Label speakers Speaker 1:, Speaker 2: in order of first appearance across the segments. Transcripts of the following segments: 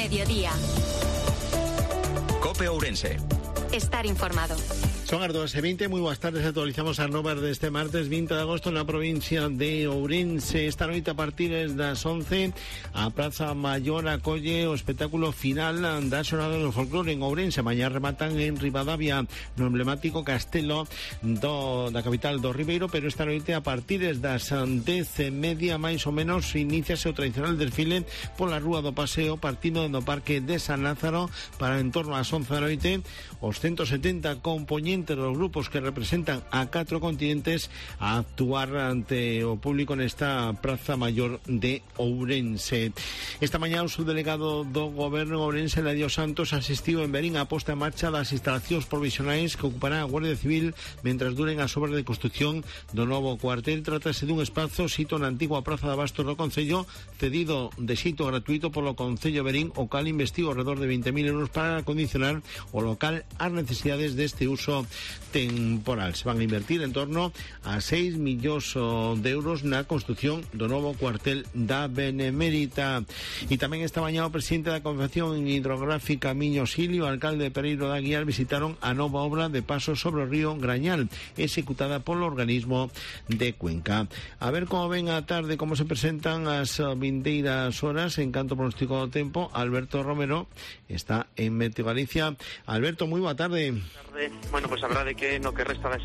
Speaker 1: mediodía.
Speaker 2: COPE Ourense.
Speaker 1: Estar informado.
Speaker 3: Son as 2:20, moi boas tardes, actualizamos as novas deste martes 20 de agosto na provincia de Ourense. Esta noite a partir das 11 a Praza Maior acolle o espectáculo final da xornada do folclore en Ourense. Mañá rematan en Ribadavia no emblemático castelo da capital do Ribeiro, pero esta noite a partir das 10:30 máis ou menos iníciase o tradicional desfile pola Rúa do Paseo, partindo do Parque de San Lázaro para en torno ás 11 da noite os 170 componentes dos grupos que representan a 4 continentes a actuar ante o público nesta Praza Maior de Ourense. Esta mañá o subdelegado do Goberno Ourense, Eladio Santos, asistiu en Verín a posta en marcha das instalacións provisionais que ocupará a Guardia Civil mentras duren as obras de construción do novo cuartel. Trátase dun espazo sito na antigua Praza de Abastos do Concello, cedido de xeito gratuito polo Concello Verín, o cal investiu alrededor de 20.000 euros para acondicionar o local ás necesidades deste uso temporal. Se van a invertir en torno a 6 millóns de euros na construción do novo cuartel da Benemérita. E tamén esta mañá o presidente da Confederación Hidrográfica Miño Sil e o alcalde de Pereiro da Guiar visitaron a nova obra de paso sobre o río Grañal, executada polo organismo de Cuenca. A ver como ven a tarde, como se presentan as vindeiras horas en canto pronóstico do tempo. Alberto Romero está en Meteo Galicia. Alberto, moi boa tarde.
Speaker 4: Bueno, pues a verdade que no que resta da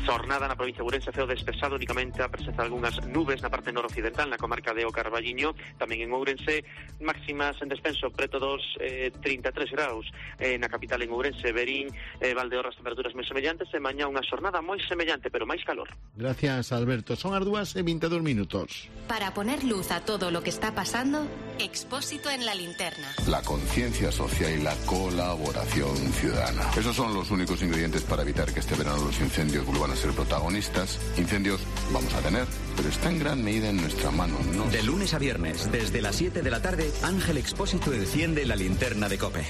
Speaker 4: xornada na provincia de Ourense ceo despexado, únicamente a presenza de algunhas nubes na parte noroccidental, na comarca de O Carballiño, tamén en Ourense, máximas en descenso preto dos 33 graus na capital en Ourense, Verín, Valdeorras, temperaturas moi semellantes, e mañá unha xornada moi semellante, pero máis calor.
Speaker 3: Gracias, Alberto. Son as 2:22 minutos.
Speaker 1: Para poner luz a todo lo que está pasando, Expósito en la linterna.
Speaker 5: La conciencia social y la colaboración ciudadana. Esos son los únicos ingredientes para evitar que este verano los incendios vuelvan a ser protagonistas. Incendios vamos a tener, pero está en gran medida en nuestra mano, ¿no?
Speaker 2: De lunes a viernes, desde las 7 de la tarde, Ángel Expósito enciende la linterna de COPE.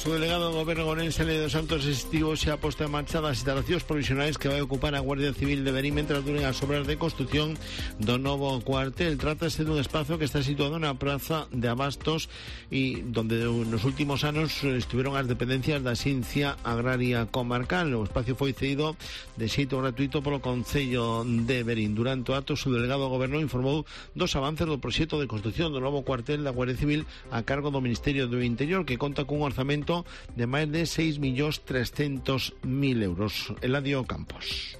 Speaker 3: O delegado do Goberno Ourense, Eladio Santos, existiu xa a posta en marcha das instalacións provisionais que vai ocupar a Guardia Civil de Verín mentras duren as obras de construción do novo cuartel. Trátase dun espazo que está situado na Praza de Abastos e donde nos últimos anos estiveron as dependencias da Xencia Agraria Comarcal. O espacio foi cedido de xeito gratuito polo Concello de Verín. Durante o acto, o subdelegado do Goberno informou dos avances do proxecto de construción do novo cuartel da Guardia Civil a cargo do Ministerio do Interior, que conta cun orzamento de máis de 6.300.000 euros. Eladio Campos.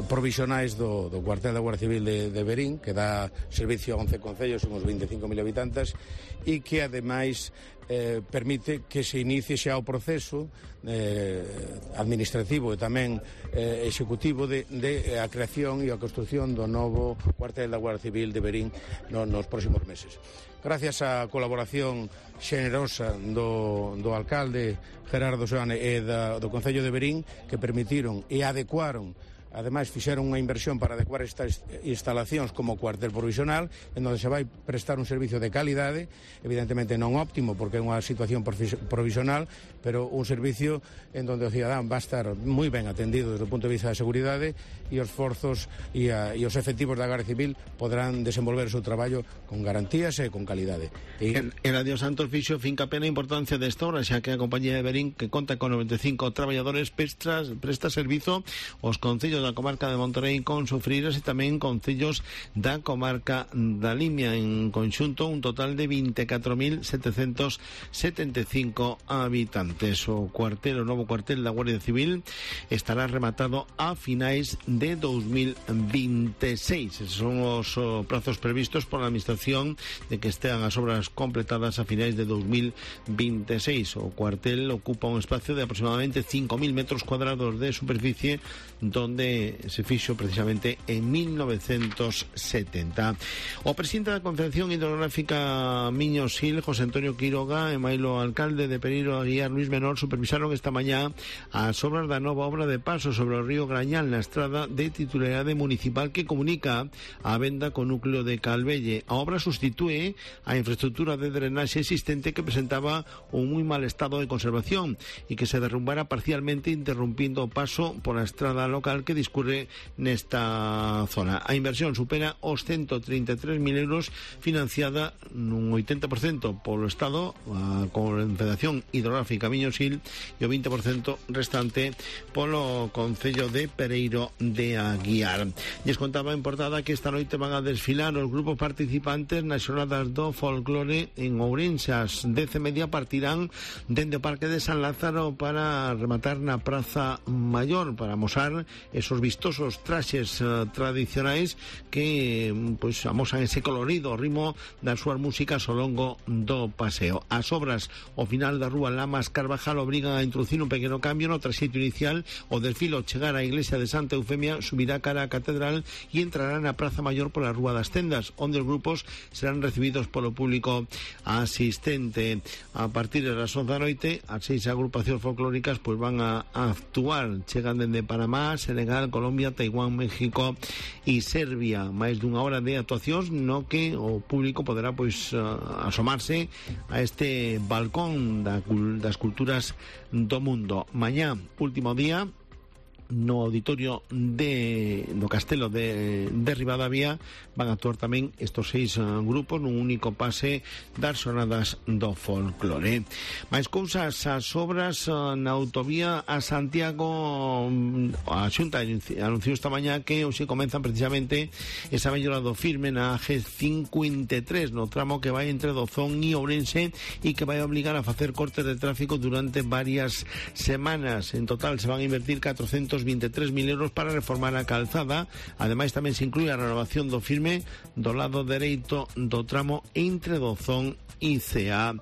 Speaker 6: Provisionais do cuartel da Guardia Civil de Verín, que dá servicio a 11 concellos, uns 25.000 habitantes, e que ademais permite que se inicie xa o proceso administrativo e tamén executivo de a creación e a construción do novo cuartel da Guardia Civil de Verín nos próximos meses. Gracias á colaboración xenerosa do alcalde Gerardo Soane e do Concello de Verín, que permitiron e adecuaron, ademais fixeron unha inversión para adecuar estas instalacións como cuartel provisional, en onde se vai prestar un servicio de calidade, evidentemente non óptimo porque é unha situación provisional, pero un servicio en onde o cidadán va a estar moi ben atendido desde o punto de vista da seguridade, e os forzos e os efectivos da Guardia Civil podrán desenvolver o seu traballo con garantías e con calidade.
Speaker 3: Eladio Santos fixo fincapé na importancia desta obra, xa que a compañía de Verín, que conta con 95 traballadores, presta servizo aos concellos da comarca de Monterrey con Sofreiras e tamén concellos da comarca da Limia. En conxunto, un total de 24.775 habitantes. O novo cuartel da Guardia Civil estará rematado a finais de 2026. Esos son os prazos previstos por a Administración de que estean as obras completadas a finais de 2026. O cuartel ocupa un espacio de aproximadamente 5.000 metros cuadrados de superficie, donde se fixo precisamente en 1970. O presidente da Confederación Hidrográfica Miño Sil, José Antonio Quiroga, Estrada e mailo alcalde de Pereiro Aguiar, Luis Menor, supervisaron esta mañá as obras da nova obra de paso sobre o río Grañal na estrada de titularidade municipal que comunica a venda co núcleo de Calvelle. A obra sustitúe a infraestructura de drenaxe existente que presentaba un moi mal estado de conservación e que se derrumbara parcialmente, interrumpindo o paso por a estrada local que discurre nesta zona. A inversión supera os 133.000 euros, financiada nun 80% polo Estado, a Confederación Hidrográfica Miñosil, e o 20% restante polo Concello de Pereiro de Aguiar. Lles contaba en portada que esta noite van a desfilar os grupos participantes nas xornadas do folclore en Ourense. As 10:30 partirán dende o Parque de San Lázaro para rematar na Praza Mayor, para amosar esos vistosos traxes tradicionais que pois amosan ese colorido ao ritmo das súas músicas ao longo do paseo. As obras ao final da rúa Lamas Carvajal obrigan a introducir un pequeno cambio no traxeito inicial. O desfile ao chegar á iglesia de Santa Eufemia subirá cara á catedral e entrará na Praza Mayor pola Rúa das Tendas, onde os grupos serán recibidos polo público asistente. A partir das 11 da noite, as 6 agrupacións folclóricas pois van a actuar. Chegan dende Panamá, Senegal, Colombia, Taiwán, México e Serbia. Máis dunha hora de actuacións no que o público poderá pois asomarse a este balcón das culturas do mundo. Mañá, último día no auditorio do Castelo de Ribadavia, van a actuar tamén estos 6 grupos nun único pase das xornadas do folclore. Mais cousas, as obras na autovía a Santiago. A Xunta anunciou esta mañá que hoxe comenzan precisamente esa mellora do firme na G53 no tramo que vai entre Dozón e Ourense e que vai obligar a facer cortes de tráfico durante varias semanas. En total se van a invertir 423.000 euros para reformar a calzada. Ademais tamén se inclúe a renovación do firme do lado dereito do tramo entre Dozón e Cea.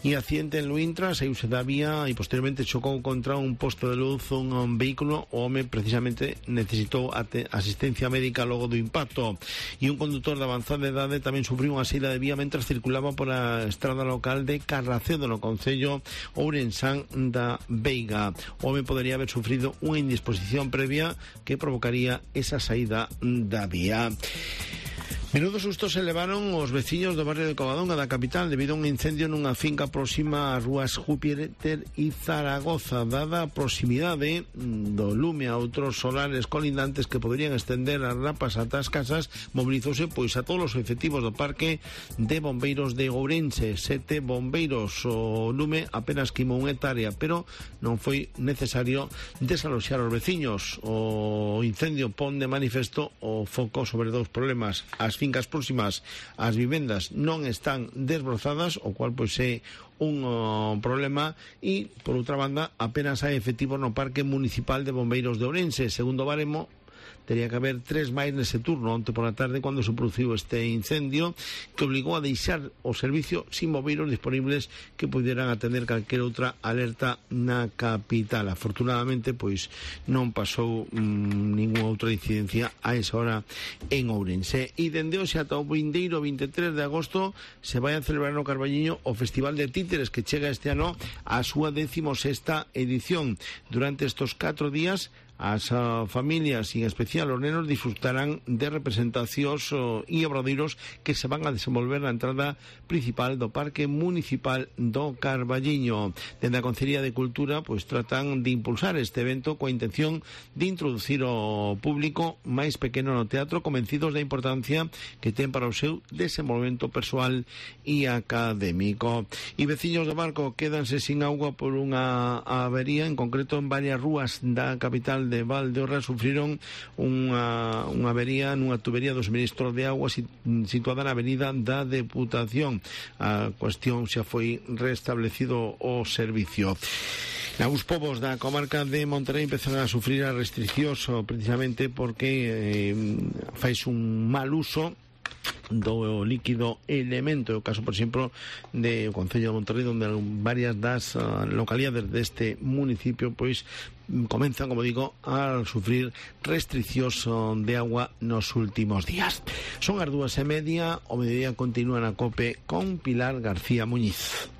Speaker 3: E accidente en Luintra, saíuse da vía e posteriormente chocou contra un posto de luz un vehículo. O home precisamente necesitou asistencia médica logo do impacto. E un condutor de avanzada idade tamén sufriu unha saída de vía mentras circulaba por a estrada local de Carracedo no concello ourensán da Veiga. O home podería haber sufrido unha indisposición previa que provocaría esa saída da vía. Menudo susto se levaron os veciños do barrio de Covadonga da capital debido a un incendio nunha finca próxima ás rúas Júpiter e Zaragoza. Dada a proximidade do lume a outros solares colindantes que poderían estender as rapas ata as casas, mobilizouse pois a todos os efectivos do parque de bombeiros de Ourense. 7 bombeiros. O lume apenas queimou unha hectárea, pero non foi necesario desaloxar os veciños. O incendio pon de manifesto o foco sobre dous problemas. As fincas próximas ás vivendas non están desbrozadas, o cual pois é un problema, e por outra banda apenas hai efectivos no Parque Municipal de Bombeiros de Ourense. Segundo baremo, tería que haber 3 máis nese turno onte por a tarde cando se produciu este incendio que obligou a deixar o servicio sin bombeiros disponibles que pudieran atender calquera outra alerta na capital. Afortunadamente pois non pasou ninguna outra incidencia a esa hora en Ourense. E dende hoxe ata o vindeiro 23 de agosto se vai a celebrar no Carballiño o Festival de Títeres, que chega este ano a súa 16ª edición. Durante estos 4 días as familias e en especial os nenos disfrutarán de representacións e obradoiros que se van a desenvolver na entrada principal do Parque Municipal do Carballiño. Dende a Concería de Cultura pois tratan de impulsar este evento coa intención de introducir o público máis pequeno no teatro, convencidos da importancia que ten para o seu desenvolvemento persoal e académico. E veciños do Barco quédanse sin auga por unha avería, en concreto en varias rúas da capital de Valdeorras sufriron unha avería nunha tubería do suministro de agua situada na avenida da Deputación. A cuestión xa foi restablecido o servicio. Algúns povos da comarca de Monterrey empezaron a sufrir as restriccións precisamente porque fais un mal uso do líquido elemento. O caso, por exemplo, de o Concello de Monterrey, onde varias das localidades deste municipio pois comenzan, como digo, a sufrir restriccións de agua nos últimos días. Son as 2:30, o mediodía continúa na COPE con Pilar García Muñiz.